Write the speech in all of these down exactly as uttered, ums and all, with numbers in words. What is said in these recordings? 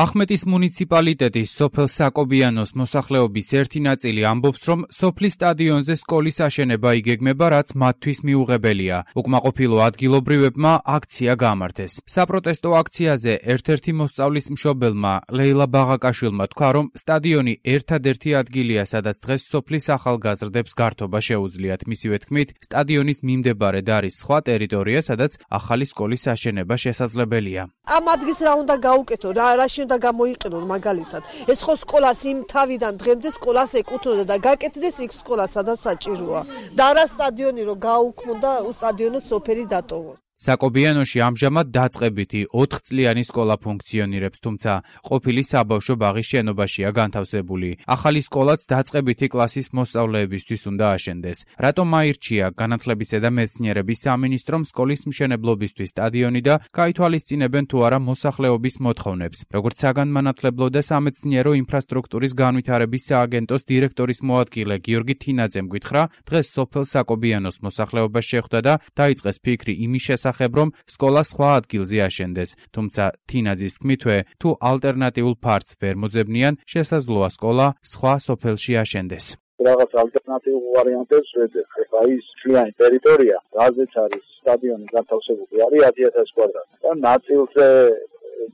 ახმეტის მუნიციპალიტეტის სოფელ საკობიანოს მოსახლეობის ერთი ნაწილი ამბობს, რომ სოფლის სტადიონზე სკოლის აშენება იგეგმება, რაც მათთვის მიუღებელია. უკმაყოფილო ადგილობრივებმა აქცია გამართეს. საპროტესტო აქციაზე ერთ-ერთი მოსწავლის მშობელმა ლეილა ბაღაკაშვილმა თქვა, რომ სტადიონი ერთადერთი ადგილია, სადაც დღეს სოფლის ახალგაზრდებს გართობა შეუძლიათ. მისივე თქმით, სტადიონის მიმდებარედ არის სხვა ტერიტორია, სადაც ახალი სკოლის აშენება შესაძლებელია. ამ ადგილს რა უნდა გაუკეთო, რა რაში უნდა გამოიყენონ მაგალითად. ეს ხო სკოლას იმ თავიდან დღემდე სკოლას ეკუთვნოდა და გაკეთდეს იქ სკოლა, სადაც საჭიროა. და რა სტადიონი რო გაუქმდა, სტადიონოც სოფელი დატოვო. საკობიანოში ამჟამად დაწყებითი ოთხწლიანი სკოლა ფუნქციონირებს, თუმცა ყოფილი საბავშვო ბაღის შენობაშია განთავსებული. ახალი სკოლაც დაწყებითი კლასის მოსწავლეებისთვის უნდა აშენდეს. რატომ აირჩია განათლებისა და მეცნიერების სამინისტრომ სკოლის მშენებლობისთვის სტადიონი და გაითვალისწინებენ თუ არა მოსახლეობის მოთხოვნებს. როგორც საგანმანათლებლო და სამეცნიერო ინფრასტრუქტურის განვითარების სააგენტოს დირექტორის მოადგილე გიორგი თინაძემ გითხრა, დღეს სოფელ საკობიანოს მოსახლეობა შეხვდა და დაიწყეს ფიქრი იმის შესახებ, რომ სკოლა სხვა ადგილზე აშენდეს, თუმცა თინაძის თქმითვე, თუ ალტერნატიულ ფართს ვერ მოძებნიან, შესაძლოა სკოლა სხვა სოფელში აშენდეს. რაღაც ალტერნატიულ ვარიანტებს ვეძებ. ეხლა ის მთლიანი ტერიტორია, რაზეც არის სტადიონი განთავსებული, არის ათი ათასი კვადრატი. და ნაწილზე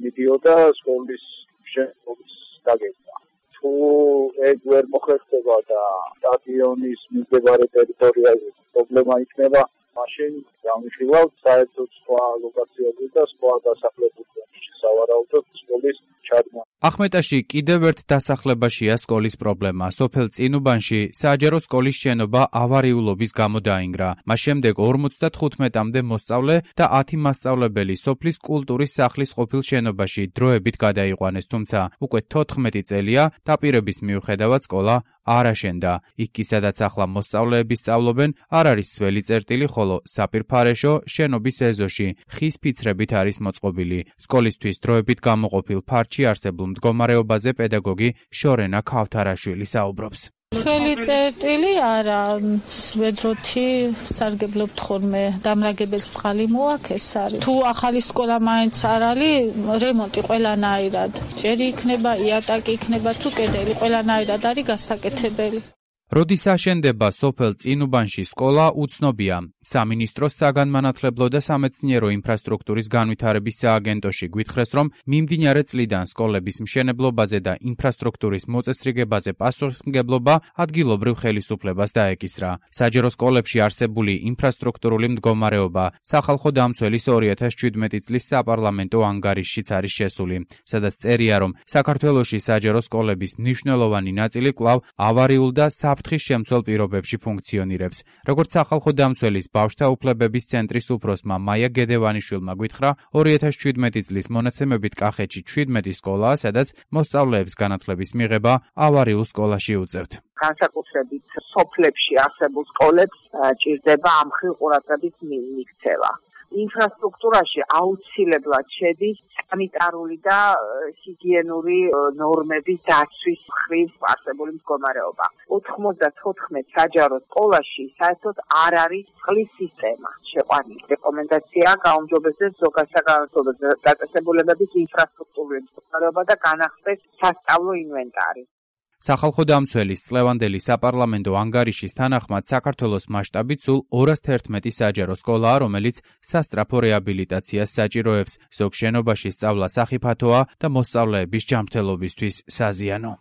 მიდიოდა სკოლის მშენებლობის დაგეგმა. თუ ეგ ვერ მოხერხდება და სტადიონის მიმდებარე ტერიტორიაზე პრობლემა იქნება, მაშინ გამიხილავთ საერთოდ სხვა ლოკაციაზე და სხვა დასახლებულებში სავარაუდოდ სკოლის ჩადგმა. ახმეტაში კიდევ ერთ დასახლებაშია სკოლის პრობლემა. სოფელ წინუბანში საჯარო სკოლის შენობა ავარიულობის გამო დაინგრა. მას შემდეგ ორმოცდათხუთმეტამდე მოსწავლე და ათი მასწავლებელი სოფლის კულტურის სახლის ყოფილ შენობაში დროებით გადაიყვანეს, თუმცა უკვე თოთხმეტი წელია დაპირების მიუხედავად სკოლა არ აშენდა. იქ კი სადაც ახლა მოსწავლეები სწავლობენ, არ არის სველი წერტილი, ხოლო საპირფარეშო შენობის ეზოში ხის ფიცრებით არის მოწყობილი. სკოლისთვის დროებით გამოყოფილ ფართში არსებულ მდგომარეობაზე პედაგოგი შორენა ქავთარაშვილი საუბრობს. სველი წერტილი არა, სვედროთი სარგებლობთ ხოლმე, დამრაგებელს წყალი მოაქეს არის. თუ ახალი სკოლა მაინც არ არის, რემონტი ყველანაირად. ჯერი იქნება, იატაკი იქნება, თუ კედელი ყველანაირად არის გასაკეთებელი. როდის აშენდება სოფელ წინუბანში სკოლა უცნობია. სამინისტროს საგანმანათლებლო და სამეცნიერო ინფრასტრუქტურის განვითარების სააგენტოში გვითხრეს, რომ მიმდინარე წლიდან სკოლების მშენებლობაზე და ინფრასტრუქტურის მოწესრიგებაზე პასუხისმგებლობა ადგილობრივ ხელისუფლებას დაეკისრა. საჯარო სკოლებში არსებული ინფრასტრუქტურული მდგომარეობა სახალხო დამცველის ორი ათას შვიდმეტი წლის საპარლამენტო ანგარიშშიც არის შესული, სადაც წერია, რომ საქართველოში საჯარო სკოლების მნიშვნელოვანი ნაწილი კვლავ ავარიულ და საფრთხის შემცველ პირობებში ფუნქციონირებს. როგორც სახალხო დამცველის ბავშვთა უფლებების ცენტრის უფროსმა მაია გედევანიშვილმა გითხრა, ორი ათას შვიდმეტი წლის მონაცემებით კახეთში შვიდმეტი სკოლაა, სადაც მოსწავლეებს განათლების მიღება ავარიულ სკოლაში უწევთ. განსაკუთრებით სოფლებში არსებულ სკოლებს ჭირდება ამ ხილ ყურადღების მიქცევა. ინფრასტრუქტურაში აუცილებლად შედის სანიტარული და ჰიგიენური ნორმების დაცვის მხრივ არსებული მდგომარეობა. ოთხმოცდათოთხმეტ საჯარო სკოლაში საერთოდ არ არის წყლის სისტემა შეყვანილი. რეკომენდაცია გაუმჯობესდეს ზოგადსაგანმანათლებლო დაწესებულებების ინფრასტრუქტურული მდგომარეობა და განახსნეს სასწავლო ინვენტარი. სახალხო დამცველის წლევანდელი საპარლამენტო ანგარიშის თანახმად საქართველოს მასშტაბით სულ ორას თერთმეტი საჯარო სკოლაა, რომელიც სასწრაფო რეაბილიტაციას საჭიროებს. ზოგ შენობაში სწავლა სახიფათოა და მოსწავლეების ჯანმრთელობისთვის საზიანო.